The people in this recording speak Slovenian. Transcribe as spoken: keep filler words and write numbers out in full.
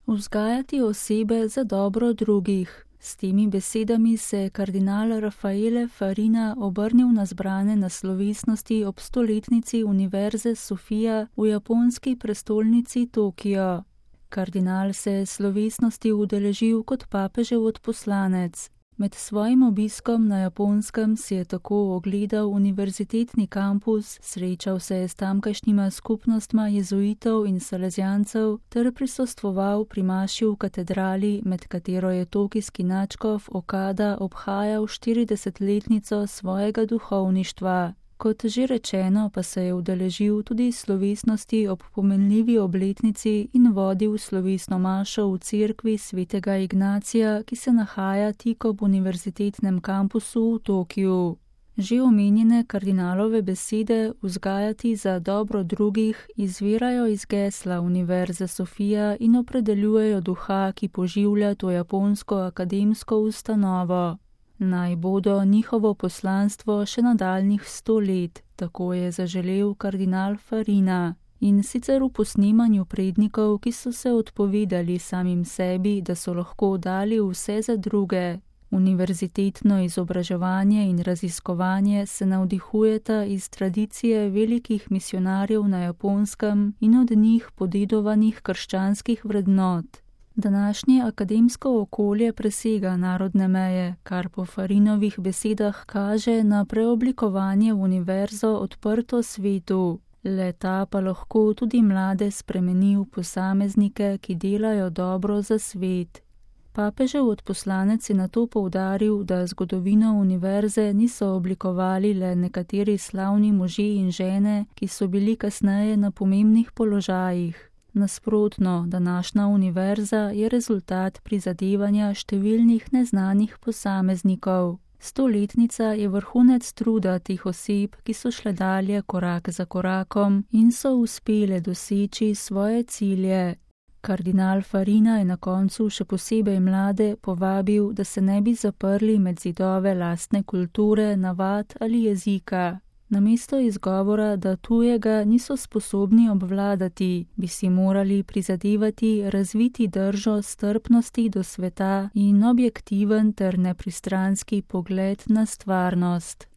Vzgajati osebe za dobro drugih. S temi besedami se je kardinal Raffaele Farina obrnil na zbrane na slovesnosti ob stoletnici Univerze Sofia v japonski prestolnici Tokio. Kardinal se je slovesnosti udeležil kot papežev odposlanec. Med svojim obiskom na Japonskem si je tako ogledal univerzitetni kampus, srečal se je s tamkajšnjima skupnostma jezuitov in salezijancev ter prisostvoval pri maši v katedrali, med katero je tokijski nadškof Okada obhajal štiridesetletnico svojega duhovništva. Kot že rečeno, pa se je udeležil tudi slovesnosti ob pomenljivi obletnici in vodil slovesno mašo v cerkvi svetega Ignacija, ki se nahaja tik ob univerzitetnem kampusu v Tokiu. Že omenjene kardinalove besede vzgajati za dobro drugih izvirajo iz gesla Univerze Sofia in opredeljujejo duha, ki poživlja to japonsko akademsko ustanovo. Naj bodo njihovo poslanstvo še nadaljnjih sto let, tako je zaželel kardinal Farina. In sicer v posnemanju prednikov, ki so se odpovedali samim sebi, da so lahko dali vse za druge. Univerzitetno izobraževanje in raziskovanje se navdihujeta iz tradicije velikih misionarjev na Japonskem in od njih podedovanih krščanskih vrednot. Današnje akademsko okolje presega narodne meje, kar po Farinovih besedah kaže na preoblikovanje v univerzo odprto svetu. Le-ta pa lahko tudi mlade spremeni v posameznike, ki delajo dobro za svet. Papežev odposlanec je nato poudaril, da zgodovino univerze niso oblikovali le nekateri slavni možje in žene, ki so bili kasneje na pomembnih položajih. Nasprotno, današnja univerza je rezultat prizadevanja številnih neznanih posameznikov. Stoletnica je vrhunec truda teh oseb, ki so šle dalje korak za korakom in so uspele doseči svoje cilje. Kardinal Farina je na koncu še posebej mlade povabil, da se ne bi zaprli med zidove lastne kulture, navad ali jezika. Namesto izgovora, da tujega niso sposobni obvladati, bi si morali prizadevati razviti držo strpnosti do sveta in objektiven ter nepristranski pogled na stvarnost.